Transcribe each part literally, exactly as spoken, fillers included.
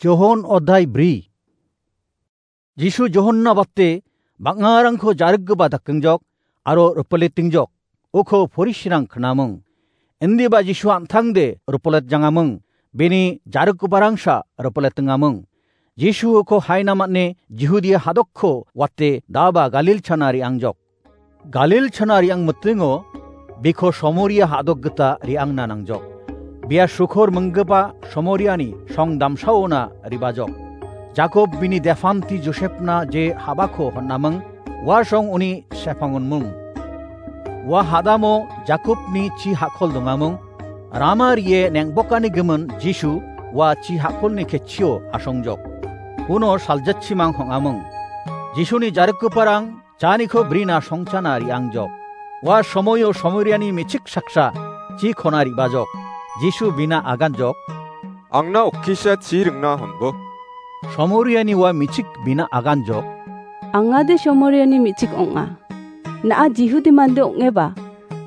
Johon odai bri. Jisu Johonna bate bang·arangko jarikgipa dakengjok aro ripiletengjok, uko porisirang knaming. Indiba Jisu an·tangde ripiletjangaming, bini jarikgiparangsa ripiletengaming. Jisu uko haina man·e Jihudia hadokko wate daba Galil chana re·angjok. Galil chana re·ang mitingo biko Somoria hadok gita re·angna nangjok. Bia sukor minggipa Somoriani song damsaona ribajok. Jakob bini defanti Josepna je habako hon·aming, ua song uni sepangonmung. Ua hadamo Jakobni chi hakol dongaming, rama rie neng·bokani gimin Jisu ua chi hakolni ketchio asongjok. Uno saljatchimang hong·aming. Jisuni jarikgiparang chaniko brina songchana re·angjok. Ua somoio Somoriani me·chik saksa chikona re·bajok. Jisu bina aganjok. Angna okkisa chi ringna honbo. Somoriani ua me·chik bina aganjok. Angade Somoriani me·chik ong·a. Na·a Jihudi mande ong·eba,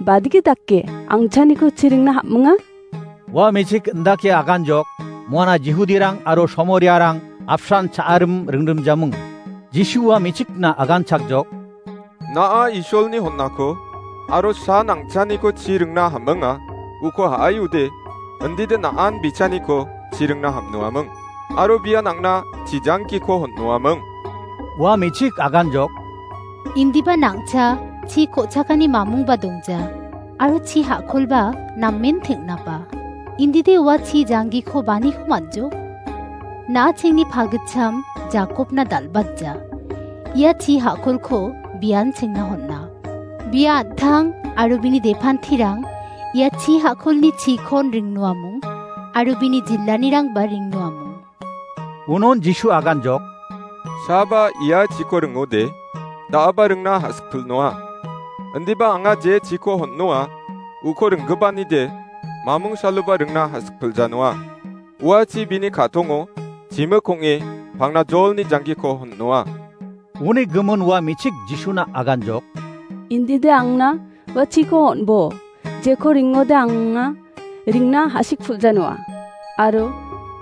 badike dake angchaniko chi ringna ham·minga? Ua me·chik indake aganjok, muana Jihudirang aro Somoriarang apsan cha·arim ringrimjaming. Jisu ua me·chikna aganchakjok. Na·a Isolni hon·ako aro san angchaniko chi ringna ham·minga, uko ha·aiude, indide na·an bichaniko chi ringna ham·noaming, aro bian angna chijangkiko hon·noaming. Ua me·chik aganjok. Indiba nangcha chi ko·chakani mamungba dongja, aro chi hakolba namen teng·naba. Indide ua chi janggiko baniko man·jo? Na·achengni pagitcham Jakobna dal·batja. Ia chi hakolko bian chengna hon·a. Bia an·tang aro bini depantirang ia chi hakolni chikon ringnoamung, aro bini jillanirangba ringnoamung. Unon Jisu aganjok. Saba ia chiko ringode, da·aba ringna ha·sikpilnoa. Indiba anga je chiko hon·noa, uko ringgipanide, mamung saloba ringna ha·sikpiljanoa. Ua chi bini ka·tongo, chimik ong·e, pangna jolni janggiko hon·noa. Uni gimin ua me·chik Jisuna aganjok. Indide angna ua chiko on·bo, jeko ringode anga ringna ha·sikpilja noa, aro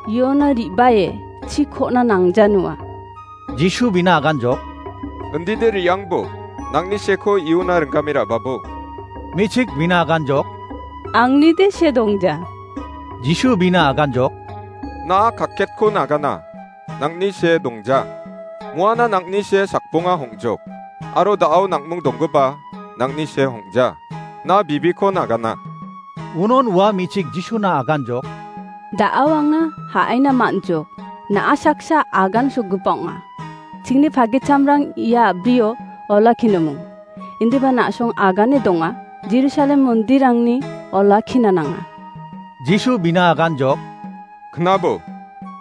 iona re·bae chikona nangja noa. Jisu bina aganjok. Indide re·angbo, nangni seko iona ringgame ra·babo. Me·chik bina aganjok. Angnide se dongja. Jisu bina aganjok. Na·a kaketko nagana. Nangni se dongja. Muana nangni se sakbonga hongjok. Aro da·ao nangmung donggipa nangni se hongja. Na bibiko nagana. Unon ua me·chik Jisuna aganjok. Da·ao anga ha·aina man·jok. Na·a saksa agan sokgipa ong·a. Chingni pagitchamrang ia a·brio olakkinomung. Indiba na·song agane donga. Jerusalem mondirangni olakkina nanga. Jisu bina aganjok. Knabo,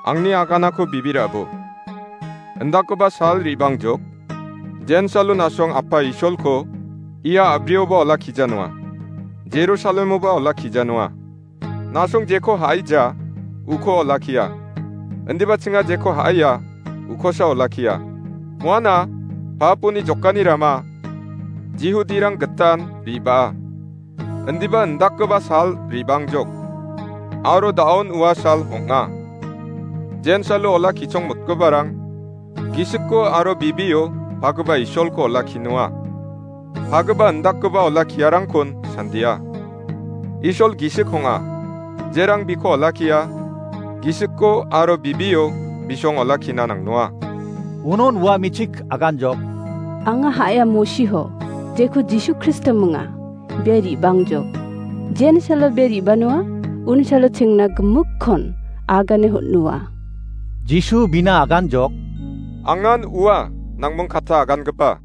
angni aganako bibirabo. Indakgipa sal re·bangjok. Jensalo na·song Apa Isolko ia a·brioba olakkija noa. Jerusalemoba olakkija noa. Na·song jeko ha·aija, uko olakkia. Indiba chinga jeko ha·aia, ukosa olakkia. Muana, paponi jokani rama, Jihudirang gitan re·baa. Indiba indakgipa sal re·bangjok. Aro da·on ua sal ong·a. Jensalo olakkichongmotgiparang gisikko aro bibio pagipa Isolko olakkinoa. Pagipa indakgipa olakkiarangkon sandia. Isol gisik ong·a. Jerang biko olakkia, gisikko aro bibio bisong olakkina nangnoa. Unon ua me·chik aganjok. Anga ha·aia Mosiho, jeko Jisu Kristo minga, bia re·bangjok. Jensalo bia re·banoa, unsalo chengna gimikkon agane hon·noa. Jisu bina aganjok. Angan ua, nangming katta agangipa.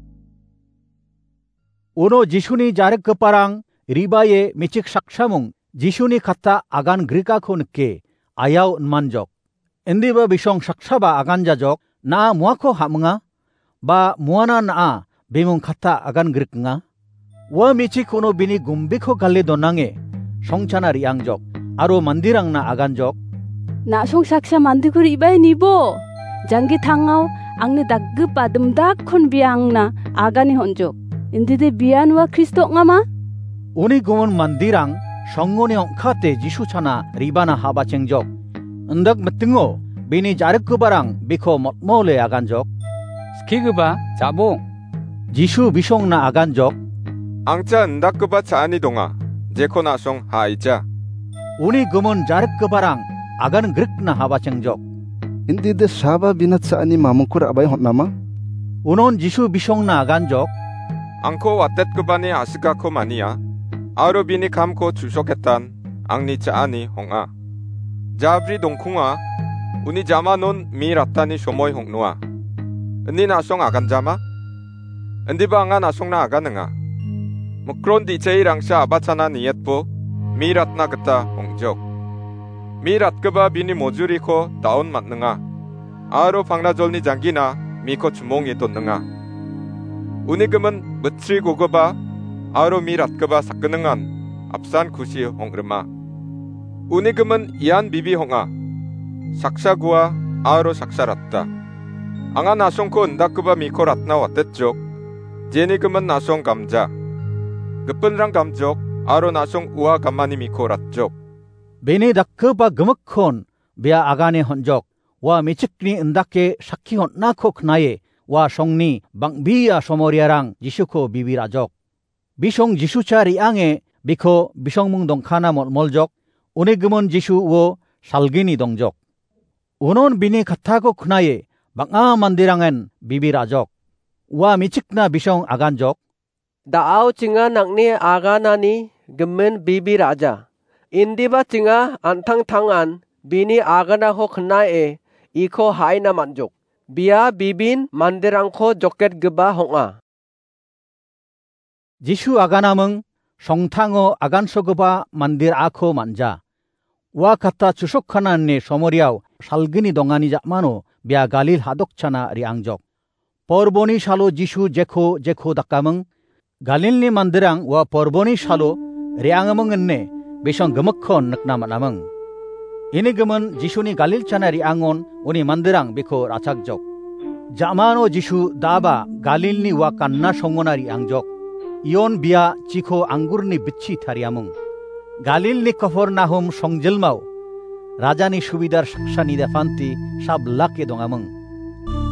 Uno Jisuni jarikgiparang re·bae me·chik saksamung Jisuni katta agan grikako nike, ayao inmanjok. Indiba bisong saksaba aganjajok, na·a muako ha·minga, ba muana na·a bimung katta agan grikenga. Ua me·chik uno bini gumbiko gale donange, songchana re·angjok, aro mandirangna aganjok. Na·song saksa mandeko re·bae nibo, janggi tangao angni daggipa dimdakkon bia angna agane hon·jok. Indide bian ua Kristo ong·ama? Uni gumun mandirang songoni ong·kate Jisu chana re·bana habachengjok. Indak mitingo Bini jarikgiparang biko motmole aganjok, "Skigipa, ja·bo." Jisu bisongna aganjok, "Angcha indakgipa cha·ani donga, jeko na·song ha·aija." Uni gimin jarikgiparang agan grikna habachengjok, "Indide saba bina cha·ani mamungko ra·bae hon·ama?" Unon Jisu bisongna aganjok, "Angko watetgipani a·sikako mania, aro bini kamko chu·soketan angni cha·ani hong·a. Jabri dongkonga, uni jamanon mi ratani somoi hong·noa. Ine na·song aganjama? Indiba anga na·songna aganinga. Mikron di·chairangsa a·bachana nietbo mi ratna gita ong·jok. Mi ratgipa bini mojuriko da·on man·ninga, aro pangnajolni janggina miko chimonge donninga. Uni gimin bitri gogipa aro mi ratgipa sakgningan apsan kusi hong·rima. Uni gimin ian bibi hong·a, saksa gua aro saksa ratta. Anga na·songko indakgipa miko ratna watetjok, jeni gimin na·song gamja. Gipinrang gamjok aro na·song ua gamani miko ratjok." Bini dakgipa gimikkon bia agane hon·jok, ua me·chikni indake sakki hon·ako knae, ua songni bang·bea somoriarang Jisuko bibi ra·jok. Bisong Jisucha re·ange biko bisongmung dongkana molmoljok, uni gimin Jisu uo salgini dongjok. Unon bini kattako knae bang·a manderangen bibi ra·jok. Ua me·chikna bisong aganjok, "Da·ao chinga nang·ni aganani gimin bibi ra·ja. Indiba chinga an·tangtangan bini aganako knae iko ha·aina man·jok. Bia bibin manderangko joketgipa hong·a." Jisu aganaming, songtango agansogipa mandir ako man·ja. Ua katta chusokkana ine somoriao salgini dongani ja·mano bia Galil hadokchana re·angjok. Porboni salo Jisu jeko jeko dakaming, Galilni manderang ua porboni salo re·angaming ine bisong gimikkon nikna man·aming. Ini gimin Jisuni Galilchana re·angon uni manderang biko ra·chakjok. Ja·mano Jisu daba Galilni ua Kanna songona re·angjok. Ion bia chiko anggurni bitchi tariaming. Galilni Kapharnaum songjilmao rajani subidar saksani depanti sablake dongaming.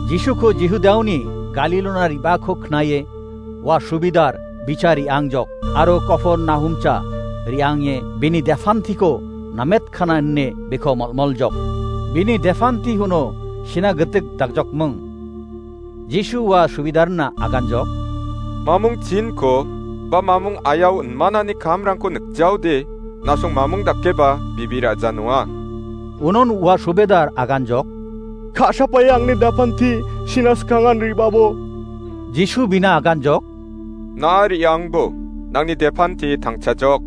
Jisuko Jihudaoni Galilona re·bako knae ua subidar bicha re·angjok aro Kapharnaumcha re·ange bini depantiko nametkana ine biko molmoljok. Bini depanti uno sina gitik dakjokming. Jisu ua subidarna aganjok, "Mamung chinko ba mamung ayao inmanani kamrangko nikjaode, na·song mamung dakeba bibi ra·ja noa." Unon ua subidar aganjok, "Ka·sapae angni depanti sina skangan re·babo." Jisu bina aganjok, "Na re·angbo, nangni depanti tangchajok."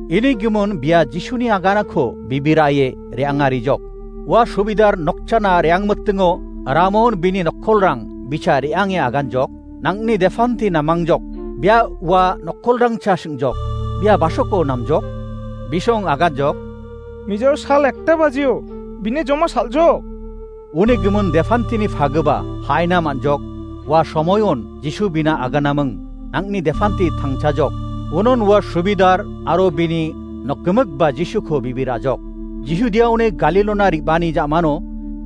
Ini gimin bia Jisuni aganako bibi ra·e re·angarijok. Ua subidar nokchana re·angmitingo Ramon bini nokkolrang bicha re·ange aganjok, "Nangni depanti namangjok, bia ua nokkolrangcha sing·jok, bia basoko namjok?" Bisong aganjok, "Mijor sal ekta bajio, bini joma sal·jok." Uni gimin depantini pagipa ha·aina man·jok, ua somoion Jisu bina aganaming, "Nangni depanti tangchajok." Unon ua subidar aro bini nokgimikba Jisuko bibi ra·jok. Jihudiaoni Galilona re·bani ja·mano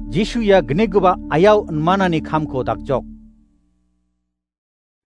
Jisu ia gnigipa ayao inmanani kamko dakjok.